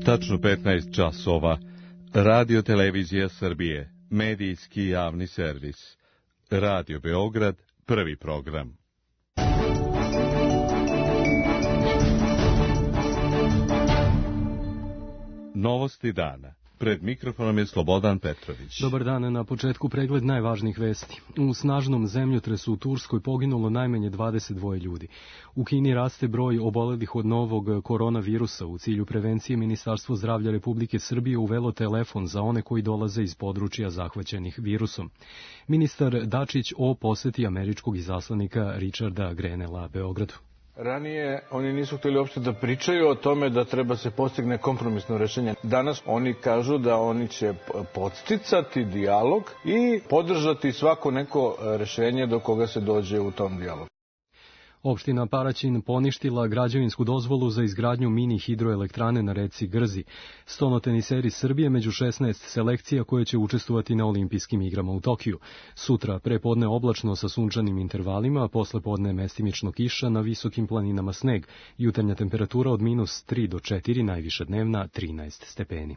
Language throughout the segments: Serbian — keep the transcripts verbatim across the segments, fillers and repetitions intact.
Tačno petnaest časova. Radio Televizija Srbije, medijski javni servis. Radio Beograd, prvi program. Novosti dana. Pred mikrofonom je Slobodan Petrović. Dobar dan, na početku pregled najvažnijih vesti. U snažnom zemljotresu u Turskoj poginulo najmanje dvadeset dva ljudi. U Kini raste broj obolelih od novog koronavirusa. U cilju prevencije Ministarstvo zdravlja Republike Srbije uvelo telefon za one koji dolaze iz područja zahvaćenih virusom. Ministar Dačić o poseti američkog izaslanika Richarda Grenella Beogradu. Ranije oni nisu htjeli uopšte da pričaju o tome da treba se postigne kompromisno rešenje. Danas oni kažu da oni će podsticati dijalog i podržati svako neko rešenje do koga se dođe u tom dijalogu. Opština Paraćin poništila građevinsku dozvolu za izgradnju mini hidroelektrane na reci Grzi. Stonoteniseri Srbije među šesnaest selekcija koje će učestvovati na olimpijskim igrama u Tokiju. Sutra prepodne oblačno sa sunčanim intervalima, a posle podne mestimično kiša, na visokim planinama sneg. Jutarnja temperatura od minus tri do četiri, najviša dnevna trinaest stepeni.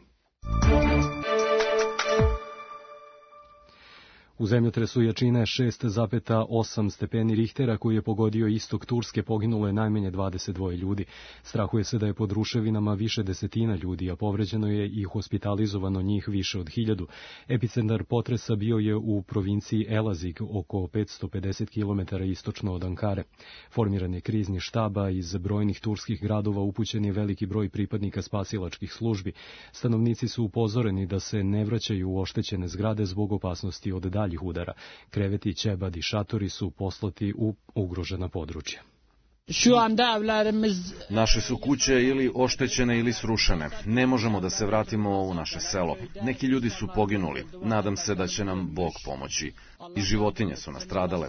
U zemljotresu jačine šest zarez osam stepeni Richtera koji je pogodio istok Turske poginulo je najmanje dvadeset dva ljudi. Strahuje se da je pod ruševinama više desetina ljudi, a povređeno je i hospitalizovano njih više od hiljadu. Epicentar potresa bio je u provinciji Elazig, oko petsto pedeset kilometara istočno od Ankare. Formiran je krizni štaba, iz brojnih turskih gradova upućen je veliki broj pripadnika spasilačkih službi. Stanovnici su upozoreni da se ne vraćaju u oštećene zgrade zbog opasnosti od dalje udara. Kreveti, ćebad i šatori su poslati u ugrožena područja. Naše su kuće ili oštećene ili srušene. Ne možemo da se vratimo u naše selo. Neki ljudi su poginuli. Nadam se da će nam Bog pomoći. I životinje su nastradale.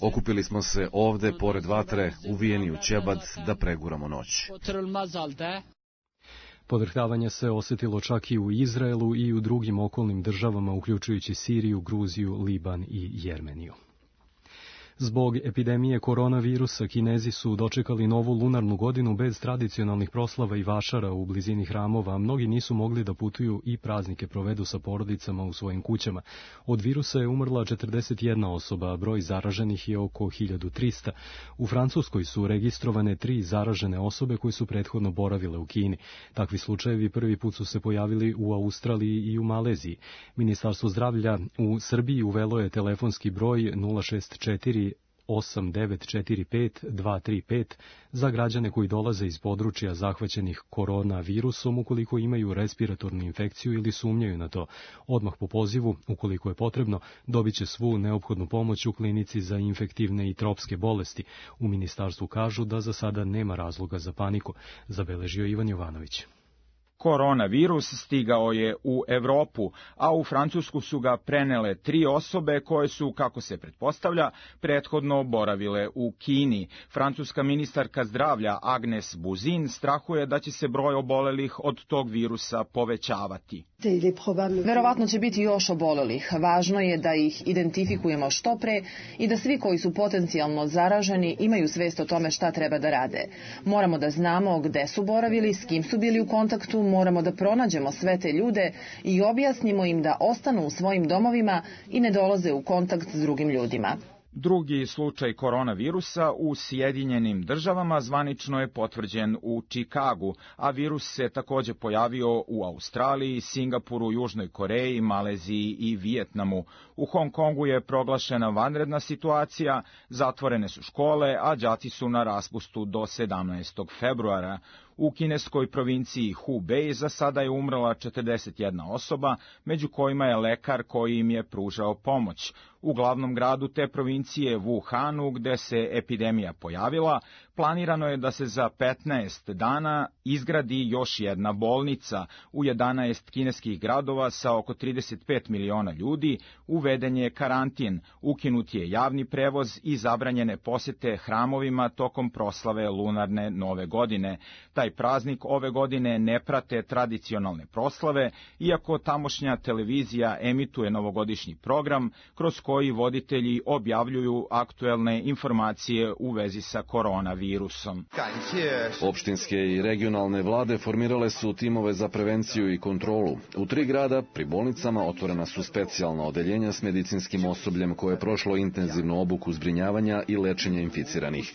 Okupili smo se ovde, pored vatre, uvijeni u ćebad, da preguramo noć. Podrhtavanje se osjetilo čak i u Izraelu i u drugim okolnim državama, uključujući Siriju, Gruziju, Liban i Jermeniju. Zbog epidemije koronavirusa, Kinezi su dočekali novu lunarnu godinu bez tradicionalnih proslava i vašara u blizini hramova, a mnogi nisu mogli da putuju i praznike provedu sa porodicama u svojim kućama. Od virusa je umrla četrdeset jedna osoba, a broj zaraženih je oko hiljadu trista. U Francuskoj su registrovane tri zaražene osobe koje su prethodno boravile u Kini. Takvi slučajevi prvi put su se pojavili u Australiji i u Maleziji. Ministarstvo zdravlja u Srbiji uvelo je telefonski broj nula šest četiri osam devet četiri pet dva tri pet za građane koji dolaze iz područja zahvaćenih koronavirusom ukoliko imaju respiratornu infekciju ili sumnjaju na to. Odmah po pozivu, ukoliko je potrebno, dobit će svu neophodnu pomoć u klinici za infektivne i tropske bolesti. U ministarstvu kažu da za sada nema razloga za paniku, zabeležio Ivan Jovanović. Koronavirus stigao je u Evropu, a u Francusku su ga prenele tri osobe koje su, kako se pretpostavlja, prethodno boravile u Kini. Francuska ministarka zdravlja Agnes Buzyn strahuje da će se broj obolelih od tog virusa povećavati. Verovatno će biti još obolelih. Važno je da ih identifikujemo što pre i da svi koji su potencijalno zaraženi imaju svest o tome šta treba da rade. Moramo da znamo gde su boravili, s kim su bili u kontaktu, moramo da pronađemo sve te ljude i objasnimo im da ostanu u svojim domovima i ne dolaze u kontakt s drugim ljudima. Drugi slučaj koronavirusa u Sjedinjenim državama zvanično je potvrđen u Čikagu, a virus se takođe pojavio u Australiji, Singapuru, Južnoj Koreji, Maleziji i Vijetnamu. U Hong Kongu je proglašena vanredna situacija, zatvorene su škole, a đaci su na raspustu do sedamnaestog februara. U kineskoj provinciji Hubei za sada je umrla četrdeset jedna osoba, među kojima je lekar koji im je pružao pomoć. U glavnom gradu te provincije Wuhanu, gde se epidemija pojavila, planirano je da se za petnaest dana izgradi još jedna bolnica. U jedanaest kineskih gradova sa oko trideset pet miliona ljudi uveden je karantin, ukinut je javni prevoz i zabranjene posete hramovima tokom proslave lunarne nove godine. Taj praznik ove godine ne prate tradicionalne proslave, iako tamošnja televizija emituje novogodišnji program kroz koji voditelji objavljuju objavljuju aktuelne informacije u vezi sa koronavirusom. Opštinske i regionalne vlade formirale su timove za prevenciju i kontrolu. U tri grada pri bolnicama otvorena su specijalna odeljenja s medicinskim osobljem koje je prošlo intenzivnu obuku zbrinjavanja i lečenja inficiranih.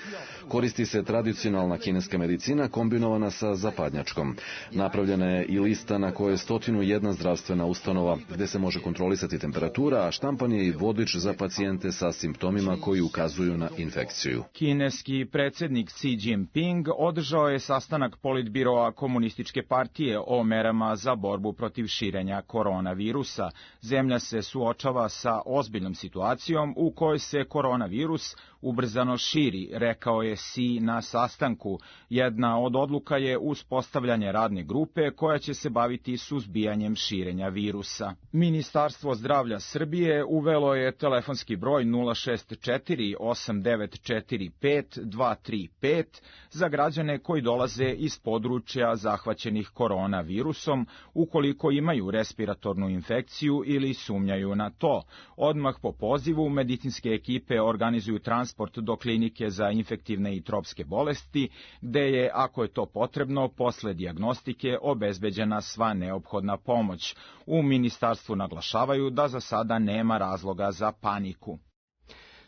Koristi se tradicionalna kineska medicina kombinovana sa zapadnjačkom. Napravljena je i lista na kojoj je stotinu jedna zdravstvena ustanova gde se može kontrolisati temperatura, a štampan je i vodič za pacijente sa simptomima koji ukazuju na infekciju. Kineski predsjednik Xi Jinping održao je sastanak politbiroa Komunističke partije o merama za borbu protiv širenja koronavirusa. Zemlja se suočava sa ozbiljnom situacijom u kojoj se koronavirus ubrzano širi, rekao je Xi na sastanku. Jedna od odluka je uspostavljanje radne grupe koja će se baviti suzbijanjem širenja virusa. Ministarstvo zdravlja Srbije uvelo je telefonski broj nula šest četiri osam devet četiri pet dva tri pet za građane koji dolaze iz područja zahvaćenih koronavirusom ukoliko imaju respiratornu infekciju ili sumnjaju na to. Odmah po pozivu medicinske ekipe organizuju transport do klinike za infektivne i tropske bolesti, gde je, ako je to potrebno, posle dijagnostike obezbeđena sva neophodna pomoć. U ministarstvu naglašavaju da za sada nema razloga za paniku.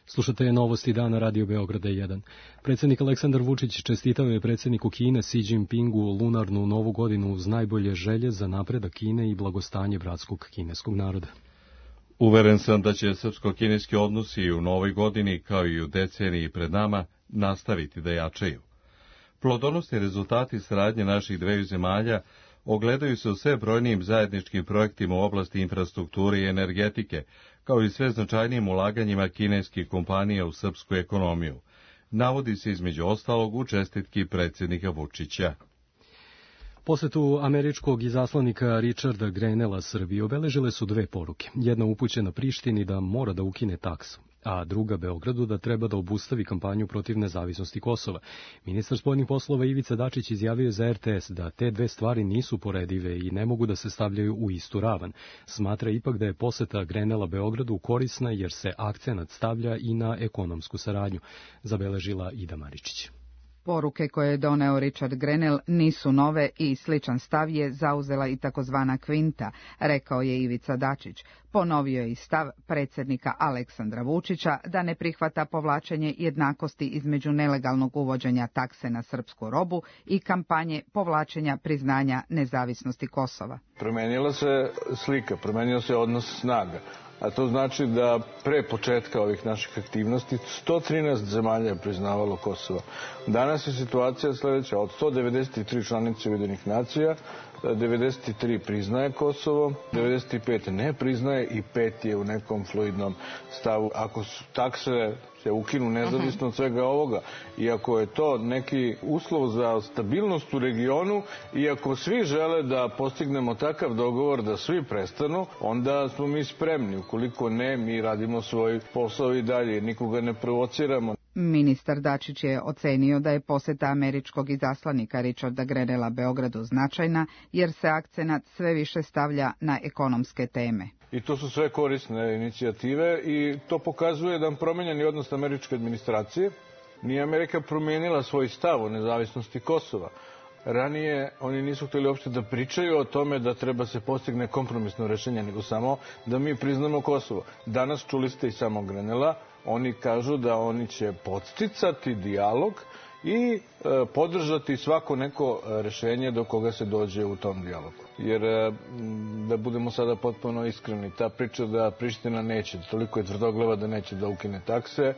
Slušate Novosti dana Radio Beograda jedan. Predsjednik Aleksandar Vučić čestitao je predsjedniku Kine Xi Jinpingu lunarnu novu godinu uz najbolje želje za napredak Kine i blagostanje bratskog kineskog naroda. Uveren sam da će srpsko-kineski odnosi u novoj godini, kao i u deceniji pred nama, nastaviti da jačaju. Plodonosni rezultati saradnje naših dveju zemalja ogledaju se u sve brojnijim zajedničkim projektima u oblasti infrastrukture i energetike, kao i sve značajnijim ulaganjima kineskih kompanija u srpsku ekonomiju. Navodi se između ostalog u čestitki predsjednika Vučića. Posetu američkog izaslanika Richarda Grenella Srbiji obeležile su dve poruke. Jedna upućena Prištini da mora da ukine taksu, a druga Beogradu da treba da obustavi kampanju protiv nezavisnosti Kosova. Ministar spoljnih poslova Ivica Dačić izjavio za R T S da te dve stvari nisu poredive i ne mogu da se stavljaju u istu ravan. Smatra ipak da je poseta Grenella Beogradu korisna jer se akcenat stavlja i na ekonomsku saradnju, zabeležila Ida Maričić. Poruke koje je doneo Richard Grenell nisu nove i sličan stav je zauzela i takozvana Kvinta, rekao je Ivica Dačić. Ponovio je i stav predsjednika Aleksandra Vučića da ne prihvata povlačenje jednakosti između nelegalnog uvođenja takse na srpsku robu i kampanje povlačenja priznanja nezavisnosti Kosova. Promenila se slika, promenio se odnos snaga. A to znači da pre početka ovih naših aktivnosti sto trinaest zemalja je priznavalo Kosovo. Danas je situacija sledeća. Od sto devedeset tri članice Ujedinjenih nacija, devedeset tri priznaje Kosovo, devedeset pet ne priznaje i pet je u nekom fluidnom stavu. Ako su takse se ukinu nezavisno od svega ovoga, i ako je to neki uslov za stabilnost u regionu, i ako svi žele da postignemo takav dogovor da svi prestanu, onda smo mi spremni. Ukoliko ne, mi radimo svoj posao i dalje, nikoga ne provociramo. Ministar Dačić je ocenio da je poseta američkog izaslanika Richarda Grenella Beogradu značajna, jer se akcenat sve više stavlja na ekonomske teme. I to su sve korisne inicijative i to pokazuje jedan promenjeni odnos američke administracije. Nije Amerika promijenila svoj stav o nezavisnosti Kosova. Ranije oni nisu htjeli uopšte da pričaju o tome da treba se postigne kompromisno rešenje, nego samo da mi priznamo Kosovo. Danas čuli ste i samog Grenella, oni kažu da oni će podsticati dijalog i e, podržati svako neko rešenje do koga se dođe u tom dijalogu. Jer, e, da budemo sada potpuno iskreni, ta priča da Priština neće, toliko je tvrdoglava da neće da ukine takse,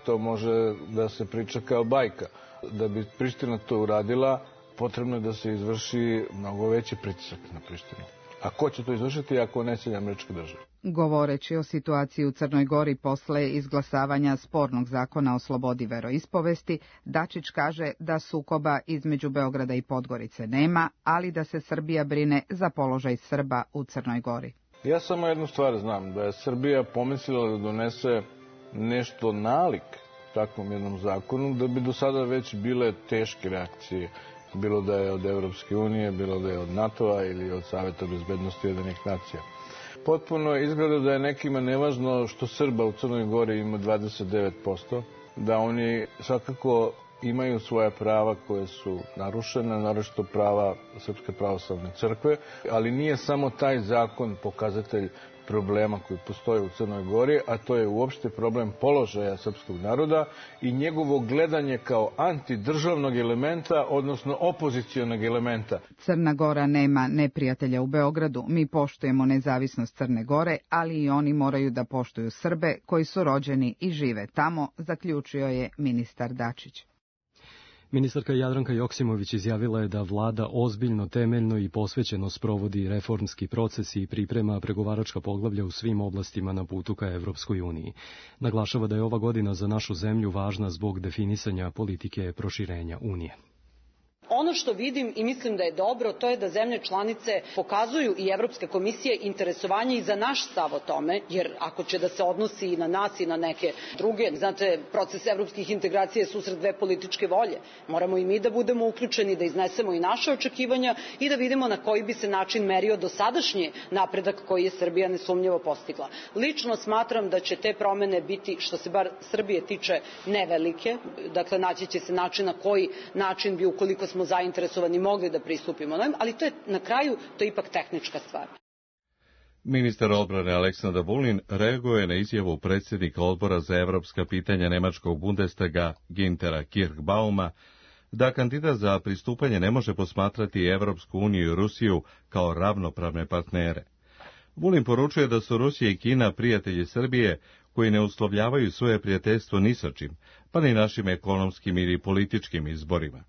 to može da se priča kao bajka. Da bi Priština to uradila, potrebno je da se izvrši mnogo veći pritisak na Prištinu. A ko će to izvršiti ako ne Sjedinjene Američke Države? Govoreći o situaciji u Crnoj Gori posle izglasavanja spornog zakona o slobodi veroispovesti, Dačić kaže da sukoba između Beograda i Podgorice nema, ali da se Srbija brine za položaj Srba u Crnoj Gori. Ja samo jednu stvar znam, da je Srbija pomislila da donese nešto nalik takvom jednom zakonu, da bi do sada već bile teške reakcije, bilo da je od Evropske unije, bilo da je od NATO-a ili od Saveta bezbednosti Ujedinjenih nacija. potpuno izgleda da je nekima nevažno što Srba u Crnoj Gori ima dvadeset devet posto, da oni svakako imaju svoja prava koje su narušena, naročito prava Srpske pravoslavne crkve, ali nije samo taj zakon pokazatelj problema koji postoje u Crnoj Gori, a to je uopšte problem položaja srpskog naroda i njegovo gledanje kao antidržavnog elementa, odnosno opozicionog elementa. Crna Gora nema neprijatelja u Beogradu. Mi poštujemo nezavisnost Crne Gore, ali i oni moraju da poštuju Srbe koji su rođeni i žive tamo, zaključio je ministar Dačić. Ministarka Jadranka Joksimović izjavila je da vlada ozbiljno, temeljno i posvećeno sprovodi reformski proces i priprema pregovaračka poglavlja u svim oblastima na putu ka Evropskoj uniji. Naglašava da je ova godina za našu zemlju važna zbog definisanja politike proširenja Unije. Ono što vidim i mislim da je dobro, to je da zemlje članice pokazuju i Evropske komisije interesovanje i za naš stav o tome, jer ako će da se odnosi i na nas i na neke druge, znate, proces evropskih integracija je susret dve političke volje. Moramo i mi da budemo uključeni, da iznesemo i naše očekivanja i da vidimo na koji bi se način merio dosadašnji napredak koji je Srbija nesumnjivo postigla. Lično smatram da će te promene biti, što se bar Srbije tiče, nevelike. Dakle, naći će se način na koji način bi, ukoliko smo smo zainteresovani mogli da pristupimo, ali to je na kraju, to je ipak tehnička stvar. Ministar odbrane Aleksandar Vulin reaguje na izjavu predsjednika odbora za evropska pitanja nemačkog Bundestaga Güntera Kirchbauma da kandidat za pristupanje ne može posmatrati Evropsku uniju i Rusiju kao ravnopravne partnere. Vulin poručuje da su Rusija i Kina prijatelji Srbije koji ne uslovljavaju svoje prijateljstvo ni sa čim, pa ni našim ekonomskim ili političkim izborima.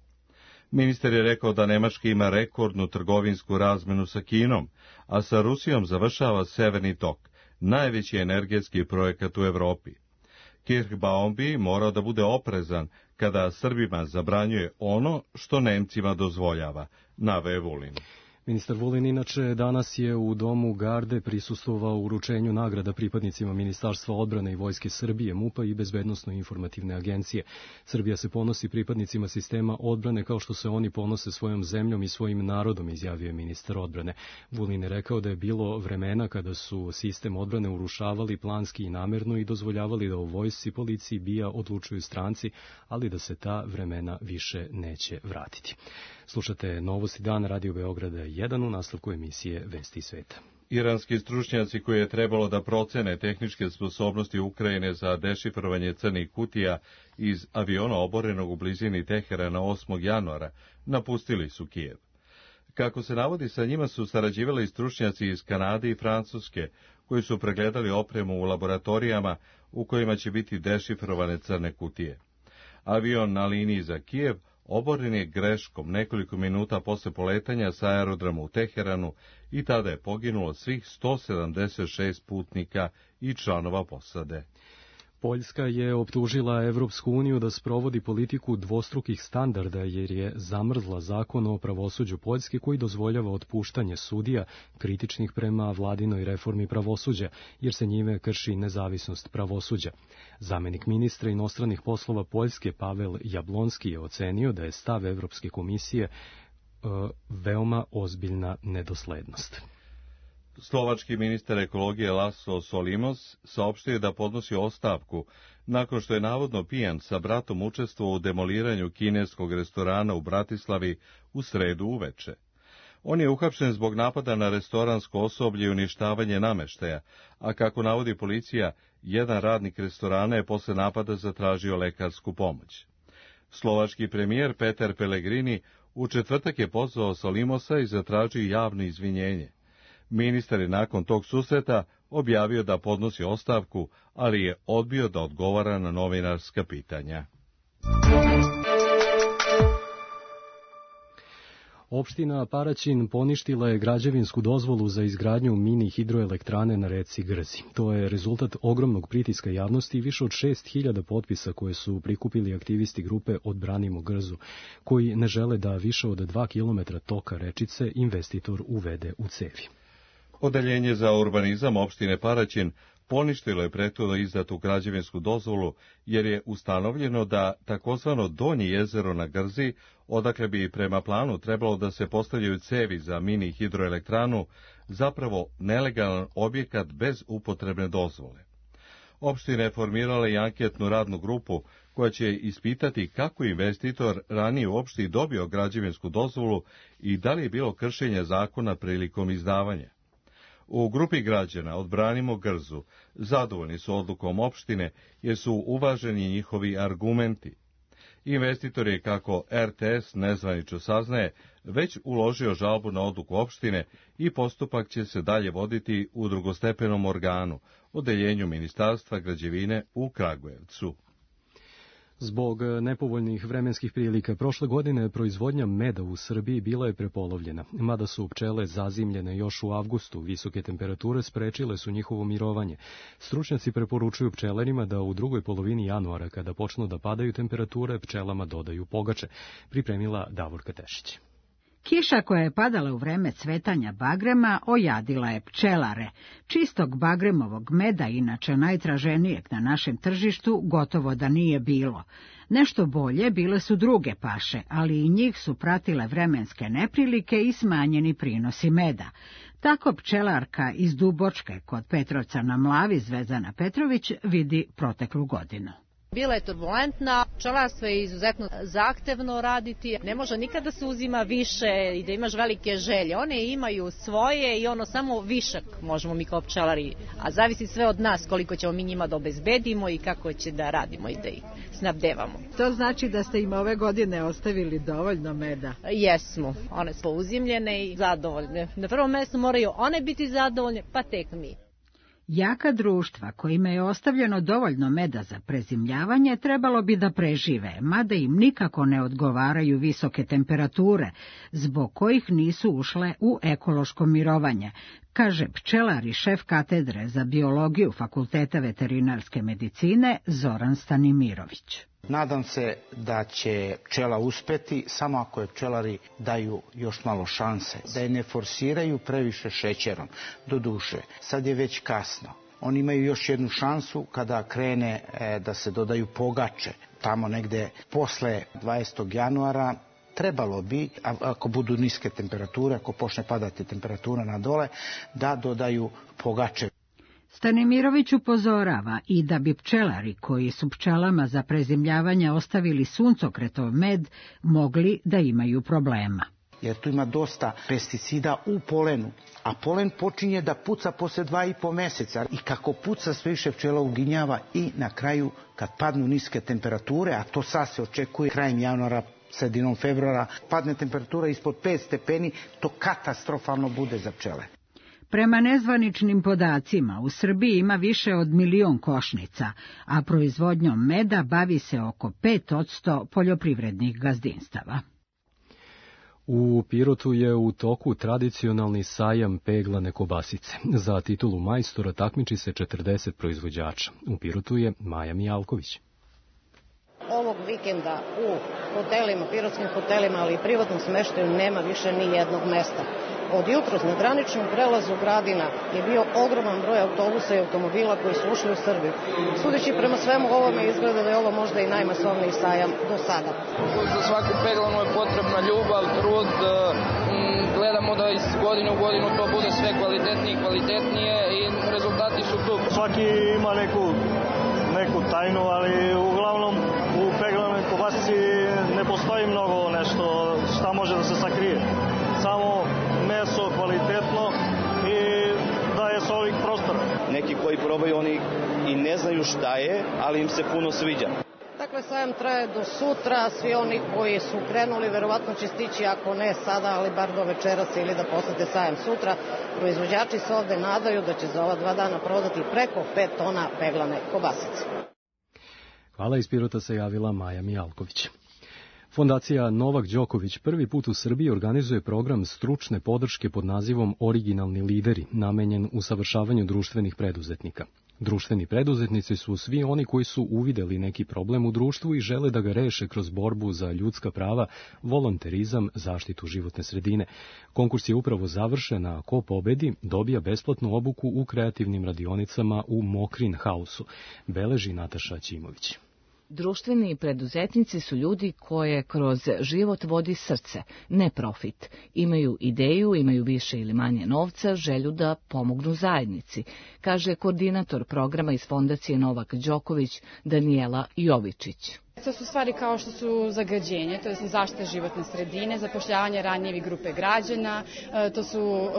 Ministar je rekao da Nemačka ima rekordnu trgovinsku razmenu sa Kinom, a sa Rusijom završava Severni tok, najveći energetski projekat u Evropi. Kirchbaum bi morao da bude oprezan kada Srbima zabranjuje ono što Nemcima dozvoljava, naveo Vulin. Ministar Vulin inače danas je u Domu Garde prisustvovao uručenju nagrada pripadnicima Ministarstva odbrane i Vojske Srbije, MUP-a i Bezbednosno-informativne agencije. Srbija se ponosi pripadnicima sistema odbrane kao što se oni ponose svojom zemljom i svojim narodom, izjavio je ministar odbrane. Vulin je rekao da je bilo vremena kada su sistem odbrane urušavali planski i namerno i dozvoljavali da u vojsci, policiji, BIA odlučuju stranci, ali da se ta vremena više neće vratiti. Slušate Novosti dan, Radio Beograda jedan u nastavku emisije Vesti sveta. Iranski stručnjaci koji je trebalo da procene tehničke sposobnosti Ukrajine za dešifrovanje crnih kutija iz aviona oborenog u blizini Teherana osmog januara napustili su Kijev. Kako se navodi, sa njima su sarađivali stručnjaci iz Kanade i Francuske, koji su pregledali opremu u laboratorijama u kojima će biti dešifrovane crne kutije. Avion na liniji za Kijev oboren je greškom nekoliko minuta posle poletanja sa aerodroma u Teheranu i tada je poginulo svih sto sedamdeset šest putnika i članova posade. Poljska je optužila Evropsku uniju da sprovodi politiku dvostrukih standarda jer je zamrzla zakon o pravosuđu Poljske koji dozvoljava otpuštanje sudija kritičnih prema vladinoj reformi pravosuđa, jer se njime krši nezavisnost pravosuđa. Zamenik ministra inostranih poslova Poljske Pavel Jablonski je ocenio da je stav Evropske komisije e, veoma ozbiljna nedoslednost. Slovački ministar ekologije Laszlo Solimos saopštio da podnosi ostavku nakon što je navodno pijan sa bratom učestvovao u demoliranju kineskog restorana u Bratislavi u sredu uveče. On je uhapšen zbog napada na restoransko osoblje i uništavanje nameštaja, a kako navodi policija, jedan radnik restorana je posle napada zatražio lekarsku pomoć. Slovački premijer Peter Pellegrini u četvrtak je pozvao Solimosa i zatražio javno izvinjenje. Ministar je nakon tog susreta objavio da podnosi ostavku, ali je odbio da odgovara na novinarska pitanja. Opština Paraćin poništila je građevinsku dozvolu za izgradnju mini hidroelektrane na reci Grzi. To je rezultat ogromnog pritiska javnosti i više od šest hiljada potpisa koje su prikupili aktivisti grupe Odbranimo Grzu, koji ne žele da više od dva kilometra toka rečice investitor uvede u cevi. Odeljenje za urbanizam opštine Paraćin poništilo je prethodno izdatu građevinsku dozvolu jer je ustanovljeno da takozvano Donje jezero na Grzi, odakle bi prema planu trebalo da se postavljaju cevi za mini hidroelektranu, zapravo nelegalan objekat bez upotrebne dozvole. Opština je formirala i anketnu radnu grupu koja će ispitati kako investitor ranije u opštini dobio građevinsku dozvolu i da li je bilo kršenja zakona prilikom izdavanja. U grupi građana Odbranimo Grzu zadovoljni su odlukom opštine jer su uvaženi njihovi argumenti. Investitor je, kako R T S nezvanično saznaje, već uložio žalbu na odluku opštine i postupak će se dalje voditi u drugostepenom organu, odeljenju Ministarstva građevine u Kragujevcu. Zbog nepovoljnih vremenskih prilika prošle godine proizvodnja meda u Srbiji bila je prepolovljena, mada su pčele zazimljene još u avgustu, visoke temperature sprečile su njihovo mirovanje. Stručnjaci preporučuju pčelarima da u drugoj polovini januara, kada počnu da padaju temperature, pčelama dodaju pogače, pripremila Davorka Tešić. Kiša koja je padala u vreme cvetanja bagrema ojadila je pčelare. Čistog bagremovog meda, inače najtraženijeg na našem tržištu, gotovo da nije bilo. Nešto bolje bile su druge paše, ali i njih su pratile vremenske neprilike i smanjeni prinosi meda. Tako pčelarka iz Dubočke kod Petrovca na Mlavi, Zvezdana Petrović, vidi proteklu godinu. Bila je turbulentna, pčelarstvo je izuzetno zahtevno raditi, ne može nikada se uzima više i da imaš velike želje. One imaju svoje i ono samo višak možemo mi kao pčelari, a zavisi sve od nas koliko ćemo mi njima da obezbedimo i kako će da radimo i da ih snabdevamo. To znači da ste im ove godine ostavili dovoljno meda? Jesmo, one su uzimljene i zadovoljne. Na prvom mjestu moraju one biti zadovoljne, pa tek mi. Jaka društva kojima je ostavljeno dovoljno meda za prezimljavanje trebalo bi da prežive, mada im nikako ne odgovaraju visoke temperature, zbog kojih nisu ušle u ekološko mirovanje, kaže pčelar i šef katedre za biologiju Fakulteta veterinarske medicine Zoran Stanimirović. Nadam se da će pčela uspeti samo ako je pčelari daju još malo šanse, da je ne forsiraju previše šećerom. Doduše, sad je već kasno. Oni imaju još jednu šansu kada krene e, da se dodaju pogače. Tamo negde posle dvadesetog januara trebalo bi, ako budu niske temperature, ako počne padati temperatura na dole, da dodaju pogače. Stanimirović upozorava i da bi pčelari koji su pčelama za prezimljavanje ostavili suncokretov med mogli da imaju problema. Jer tu ima dosta pesticida u polenu, a polen počinje da puca posle dva i po meseca i kako puca sve više pčela uginjava i na kraju kad padnu niske temperature, a to sad se očekuje krajem januara, sredinom februara, padne temperatura ispod pet stepeni, to katastrofalno bude za pčele. Prema nezvaničnim podacima, u Srbiji ima više od milion košnica, a proizvodnjom meda bavi se oko pet posto poljoprivrednih gazdinstava. U Pirotu je u toku tradicionalni sajam peglane kobasice. Za titulu majstora takmiči se četrdeset proizvođača. U Pirotu je Maja Mijalković. Ovog vikenda u hotelima, pirotskim hotelima, ali i privatnom smeštaju nema više ni jednog mesta. Od jutros na graničnom prelazu Gradina je bio ogroman broj autobusa i automobila koji su ušli u Srbiju. Sudeći prema svemu ovome izgleda da je ovo možda i najmasovniji sajam do sada. Za svaku peglanu je potrebna ljubav, trud, gledamo da iz godine u godinu to bude sve kvalitetnije i kvalitetnije i rezultati su tu. Svaki ima neku, neku tajnu, ali uglavnom u peglanoj kobasici ne postoji mnogo nešto šta može da se sakrije. Samo meso kvalitetno i daje se ovih prostora. Neki koji probaju oni i ne znaju šta je, ali im se puno sviđa. Dakle, sajam traje do sutra, svi oni koji su krenuli verovatno će stići, ako ne sada, ali bar do večeras ili da posete sajam sutra. Proizvođači se ovde nadaju da će za ova dva dana prodati preko pet tona peglane kobasice. Hvala, iz Pirota se javila Maja Mijalković. Fondacija Novak Đoković prvi put u Srbiji organizuje program stručne podrške pod nazivom Originalni lideri, namenjen usavršavanju društvenih preduzetnika. Društveni preduzetnici su svi oni koji su uvideli neki problem u društvu i žele da ga reše kroz borbu za ljudska prava, volonterizam, zaštitu životne sredine. Konkurs je upravo završen, a ko pobedi dobija besplatnu obuku u kreativnim radionicama u Mokrin Hausu, beleži Nataša Ćimović. Društveni preduzetnici su ljudi koje kroz život vodi srce, ne profit. Imaju ideju, imaju više ili manje novca, želju da pomognu zajednici, kaže koordinator programa iz Fondacije Novak Đoković Danijela Jovičić. To su stvari kao što su zagađenje, to je zaštita životne sredine, zapošljavanje ranjivih grupe građana, to su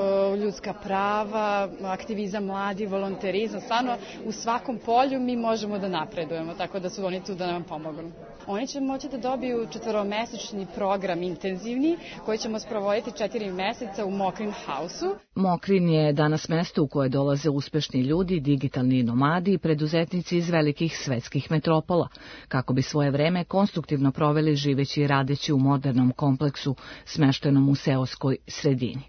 ljudska prava, aktivizam mladi, volonterizam. Stvarno u svakom polju mi možemo da napredujemo, tako da su oni tu da nam pomognu. Oni će moći da dobiju četvoromesečni program intenzivni koji ćemo sprovoditi četiri meseca u Mokrin House-u. Mokrin je danas mesto u koje dolaze uspešni ljudi, digitalni nomadi i preduzetnici iz velikih svetskih metropola, kako bi svoje vreme konstruktivno proveli živeći i radeći u modernom kompleksu smeštenom u seoskoj sredini.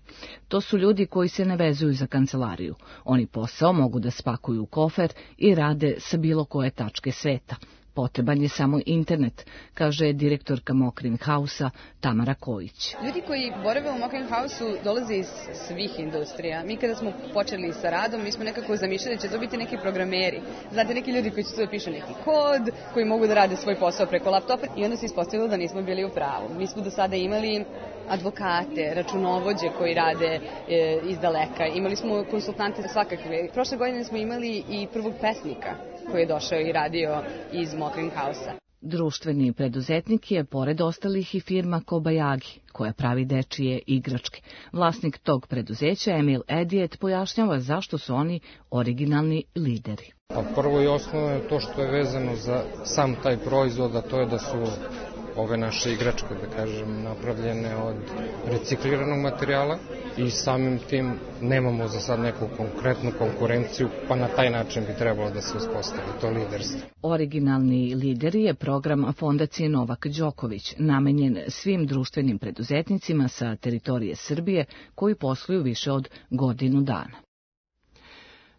To su ljudi koji se ne vezuju za kancelariju. Oni posao mogu da spakuju u kofer i rade sa bilo koje tačke sveta. Potreban je samo internet, kaže direktorka Mokrin House-a Tamara Kojić. Ljudi koji borave u Mokrin House-u dolaze iz svih industrija. Mi kada smo počeli sa radom, mi smo nekako zamišljali da će to biti neki programeri. Znate, neki ljudi koji će tu da pišu neki kod, koji mogu da rade svoj posao preko laptopa i onda se ispostavilo da nismo bili u pravu. Mi smo do sada imali advokate, računovođe koji rade e, iz daleka. Imali smo konsultante svakakve. Prošle godine smo imali i prvog pesnika koji je došao i radio iz Mokrin House-a. Društveni preduzetnik je, pored ostalih, i firma Kobayagi, koja pravi dečije igračke. Vlasnik tog preduzeća, Emil Edijet, pojašnjava zašto su oni originalni lideri. Pa prvo i osnovno je to što je vezano za sam taj proizvod, a to je da su ove naše igračke, da kažem, napravljene od recikliranog materijala i samim tim nemamo za sad neku konkretnu konkurenciju, pa na taj način bi trebalo da se uspostavi to liderstvo. Originalni lideri je program Fondacije Novak Đoković, namenjen svim društvenim preduzetnicima sa teritorije Srbije koji posluju više od godinu dana.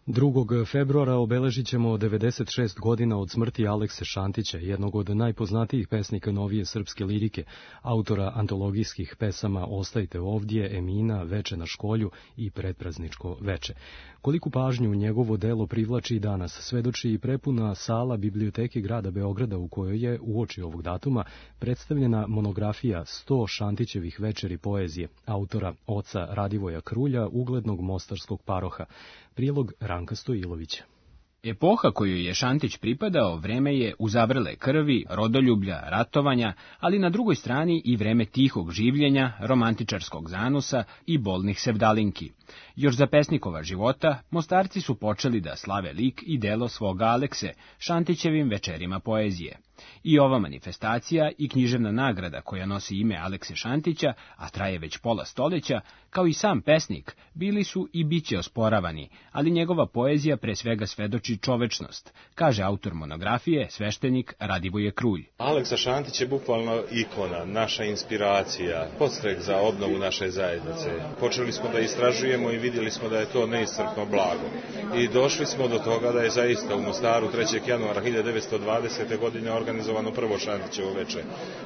drugog februara obeležit ćemo devedeset šest godina od smrti Alekse Šantića, jednog od najpoznatijih pesnika novije srpske lirike, autora antologijskih pesama Ostajte ovdje, Emina, Veče na školju i Predprazničko veče. Koliku pažnju njegovo delo privlači danas, svedoči i prepuna sala Biblioteke grada Beograda u kojoj je, uoči ovog datuma, predstavljena monografija sto Šantićevih večeri poezije, autora oca Radivoja Krulja, uglednog mostarskog paroha. Prilog Ranka Stojilovića. Epoha koju je Šantić pripadao vreme je uzavrele krvi, rodoljublja, ratovanja, ali na drugoj strani i vreme tihog življenja, romantičarskog zanosa i bolnih sevdalinki. Još za pesnikova života, Mostarci su počeli da slave lik i delo svoga Alekse, Šantićevim večerima poezije. I ova manifestacija i književna nagrada koja nosi ime Alekse Šantića, a traje već pola stoleća, kao i sam pesnik, bili su i biće osporavani, ali njegova poezija pre svega svedoči čovečnost, kaže autor monografije, sveštenik Radivoje Krulj. Aleksa Šantić je bukvalno ikona, naša inspiracija, podstrek za obnovu naše zajednice. Počeli smo da istražujemo i vidjeli smo da je to neiscrpno blago. I došli smo do toga da je zaista u Mostaru trećeg januara hiljade devetsto dvadesete. godine organizovano prvo Šantićevo veče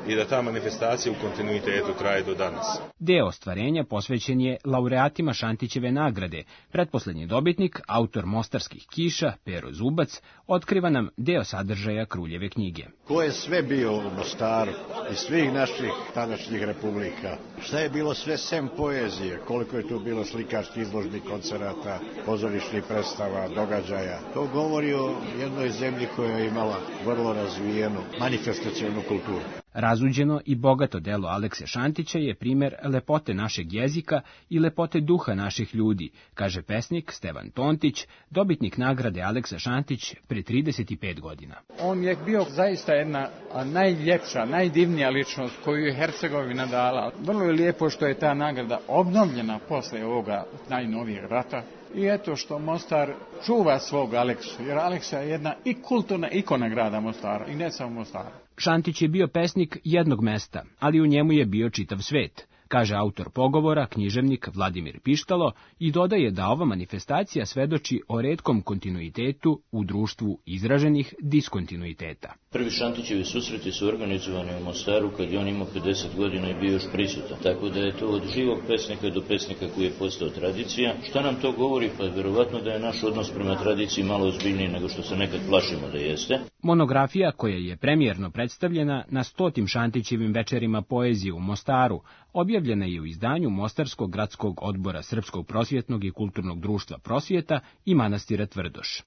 i da ta manifestacija u kontinuitetu traje do danas. Deo ostvarenja posvećen je laureatima Šantićeve nagrade. Pretposlednji dobitnik, autor Mostarskih kiša, Pero Zubac, otkriva nam deo sadržaja Kruljeve knjige. Ko je sve bio u Mostaru iz svih naših tadašnjih republika? Šta je bilo sve sem poezije? Koliko je tu bilo slikarskih izložbi, koncerata, pozorišnih predstava, događaja? To govori o jednoj zemlji koja je imala vrlo razvijenu manifestacionu kulturu. Razuđeno i bogato delo Alekse Šantića je primer lepote našeg jezika i lepote duha naših ljudi, kaže pesnik Stevan Tontić, dobitnik nagrade Aleksa Šantić pre trideset pet godina. On je bio zaista jedna najljepša, najdivnija ličnost koju je Hercegovina dala. Vrlo je lijepo što je ta nagrada obnovljena posle ovoga najnovijeg rata. I eto što Mostar čuva svog Aleksu, jer Aleksa je jedna i kulturna ikona grada Mostara, i ne samo Mostara. Šantić je bio pesnik jednog mesta, ali u njemu je bio čitav svet, kaže autor pogovora, književnik Vladimir Pištalo, i dodaje da ova manifestacija svedoči o retkom kontinuitetu u društvu izraženih diskontinuiteta. Prvi Šantićevi susreti su organizovani u Mostaru kad je on imao pedeset godina i bio još prisutan. Tako da je to od živog pesnika do pesnika koji je postao tradicija. Šta nam to govori? Pa verovatno da je naš odnos prema tradiciji malo ozbiljniji nego što se nekad plašimo da jeste. Monografija koja je premijerno predstavljena na stotim Šantićevim večerima poezije u Mostaru, objavljena je u izdanju Mostarskog gradskog odbora Srpskog prosvjetnog i kulturnog društva Prosvjeta i manastira Tvrdoš.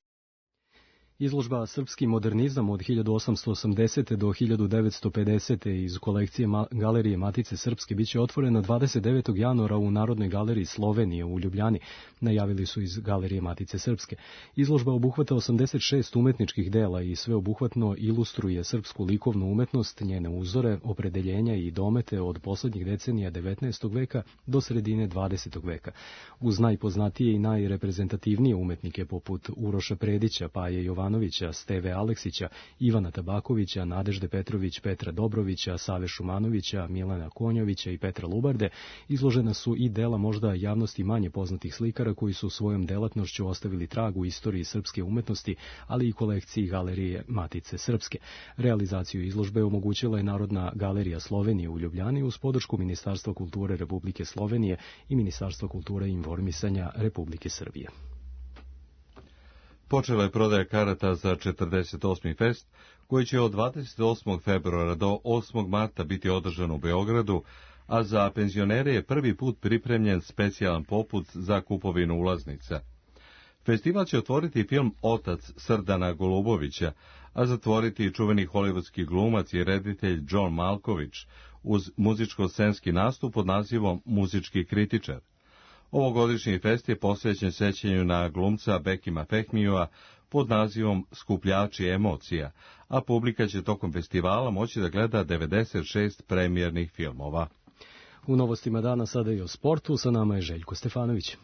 Izložba Srpski modernizam od hiljadu osamsto osamdesete do hiljadu devetsto pedesete iz kolekcije Ma- Galerije Matice Srpske biće otvorena dvadeset devetog januara u Narodnoj galeriji Slovenije u Ljubljani, najavili su iz Galerije Matice Srpske. Izložba obuhvata osamdeset šest umetničkih dela i sveobuhvatno ilustruje srpsku likovnu umetnost, njene uzore, opredeljenja i domete od poslednjih decenija devetnaestog veka do sredine dvadesetog veka. Uz najpoznatije i najreprezentativnije umetnike poput Uroša Predića, Paje Jovanovića, Steve Aleksića, Ivana Tabakovića, Nadežde Petrović, Petra Dobrovića, Save Šumanovića, Milana Konjovića i Petra Lubarde, izložena su i dela možda javnosti manje poznatih slikara koji su svojom delatnošću ostavili trag u istoriji srpske umetnosti, ali i kolekciji Galerije Matice Srpske. Realizaciju izložbe omogućila je Narodna galerija Slovenije u Ljubljani uz podršku Ministarstva kulture Republike Slovenije i Ministarstva kulture i informisanja Republike Srbije. Počela je prodaja karata za četrdeset osmi fest, koji će od dvadeset osmog februara do osmog marta biti održan u Beogradu, a za penzionere je prvi put pripremljen specijalan poput za kupovinu ulaznica. Festival će otvoriti film Otac Srdana Golubovića, a zatvoriti i čuveni hollywoodski glumac i reditelj John Malkovich uz muzičko-scenski nastup pod nazivom Muzički kritičar. Ovogodišnji fest je posvećen sećanju na glumca Bekima Fehmijua pod nazivom Skupljači emocija, a publika će tokom festivala moći da gleda devedeset šest premijernih filmova. U novostima dana sada i o sportu, sa nama je Željko Stefanović.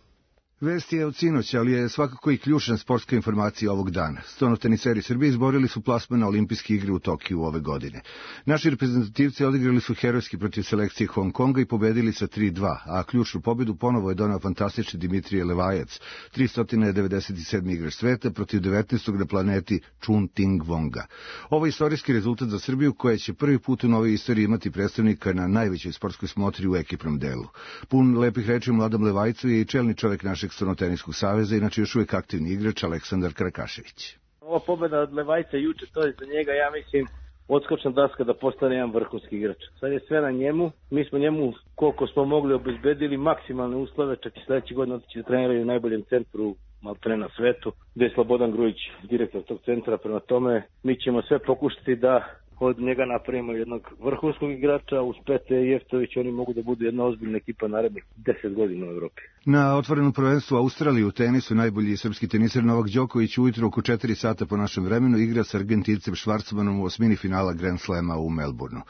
Vest je od sinoća, ali je svakako i ključna sportska informacija ovog dana. Stonoteniseri Srbije izborili su plasman na olimpijske igre u Tokiju ove godine. Naši reprezentativci odigrali su herojski protiv selekcije Hong Konga i pobedili sa tri dva, a ključnu pobedu ponovo je donao fantastični Dimitrije Levajac, tristo devedeset sedmi igrač sveta protiv devetnaestog na planeti Chun Ting Vonga. Ovo je istorijski rezultat za Srbiju, koja će prvi put u novoj istoriji imati predstavnika na najvećoj sportskoj smotri u ekipnom delu. Pun lepih reči Mladom Levajcu je i čelni čovek našeg Stonoteniskog saveza, inače još uvijek aktivni igrač Aleksandar Krakašević. Ova pobjeda od Levajca juče, to je za njega, ja mislim, odskočna daska da postane jedan vrhunski igrač. Sad je sve na njemu, mi smo njemu koliko smo mogli obezbedili maksimalne uslove, čak i sledeće godine otići da treniraju u najboljem centru maltene na svetu, gde je Slobodan Grujić, direktor tog centra. Prema tome, mi ćemo sve pokušati da od njega napravimo jednog vrhunskog igrača, uz Pete i Jeftović oni mogu da budu jedna ozbiljna ekipa narednih deset godina u Evropi. Na otvorenom prvenstvu Australije u tenisu najbolji srpski teniser Novak Đoković ujutro oko četiri sata po našem vremenu igra sa Argentincem Švarcmanom u osmini finala Grand Slema u Melbourneu.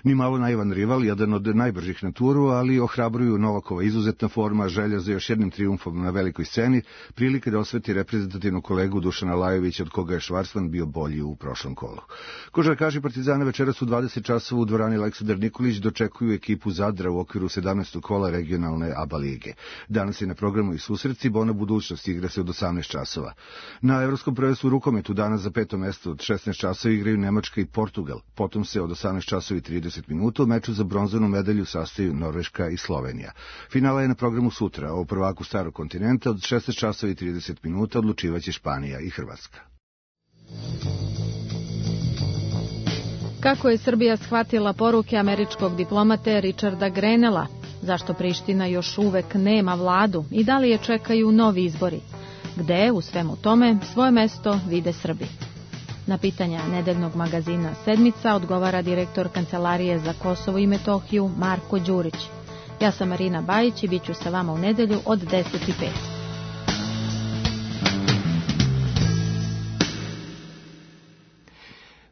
Ni malo naivan rival, jedan od najbržih na turu, ali ohrabruju Novakova izuzetna forma, želja za još jednim trijumfom na velikoj sceni, prilike da osveti reprezentativnog kolegu Dušana Lajovića, od koga je Švarcman bio bolji u prošlom kolu. Košarkaši Partizana večeras u dvadeset časova u dvorani Aleksandar Nikolić dočekuju ekipu Zadra u okviru sedamnaestog kola regionalne ABA lige. Danas je na programu i susreci, Bona budućnost igra se od osamnaest časova. Na Evropskom prvenstvu u rukometu danas za peto mesto od šesnaest časova igraju Nemačka i Portugal. Potom se od osamnaest časova i trideset minuta u meču za bronzanu medalju sastaju Norveška i Slovenija. Finala je na programu sutra, a u prvaku starog kontinenta od šesnaest časova i trideset minuta odlučivaće Španija i Hrvatska. Kako je Srbija shvatila poruke američkog diplomate Richarda Grenella? Zašto Priština još uvek nema vladu i da li je čekaju novi izbori? Gde u svemu tome svoje mesto vide Srbi? Na pitanja nedeljnog magazina Sedmica odgovara direktor Kancelarije za Kosovo i Metohiju Marko Đurić. Ja sam Marina Bajić i bit ću sa vama u nedelju od deset i pet.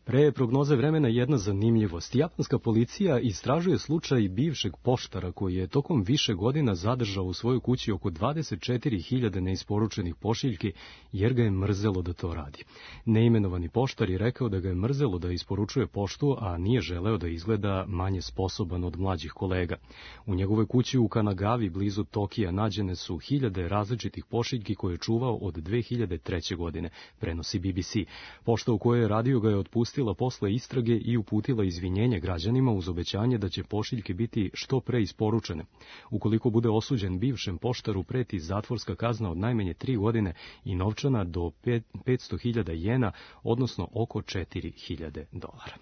Pre prognoze vremena jedna zanimljivost. Japanska policija istražuje slučaj bivšeg poštara koji je tokom više godina zadržao u svojoj kući oko dvadeset četiri hiljade neisporučenih pošiljki jer ga je mrzelo da to radi. Neimenovani poštar je rekao da ga je mrzelo da isporučuje poštu, a nije želeo da izgleda manje sposoban od mlađih kolega. U njegovoj kući u Kanagavi blizu Tokija nađene su hiljade različitih pošiljki koje je čuvao od dve hiljade treće. godine, prenosi B B C. Pošta u kojoj je radio ga je otpustio popustila posle istrage i uputila izvinjenje građanima uz obećanje da će pošiljke biti što pre isporučene. Ukoliko bude osuđen, bivšem poštaru preti zatvorska kazna od najmanje tri godine i novčana do petsto hiljada jena, odnosno oko četiri hiljade dolara.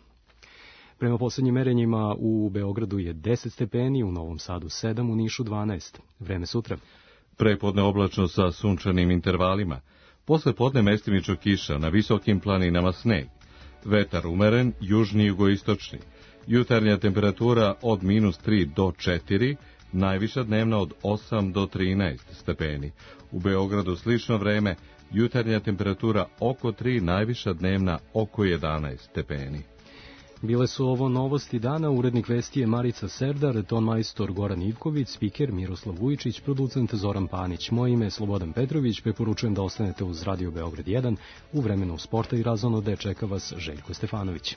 Prema poslednjim merenjima u Beogradu je deset stepeni, u Novom Sadu sedam, u Nišu dvanaest. Vreme sutra. Prepodne oblačno sa sunčanim intervalima. Posle podne mestimično kiša, na visokim planinama sneg. Vetar umeren, južni i jugoistočni. Jutarnja temperatura od minus tri do četiri, najviša dnevna od osam do trinaest stepeni. U Beogradu slično vreme, jutarnja temperatura oko tri, najviša dnevna oko jedanaest stepeni. Bile su ovo novosti dana, urednik vesti je Marica Serdar, tonmajstor Goran Ivković, spiker Miroslav Vujičić, producent Zoran Panić. Moje ime je Slobodan Petrović, preporučujem da ostanete uz Radio Beograd jedan, u vremenu sporta i razonode čeka vas Željko Stefanović.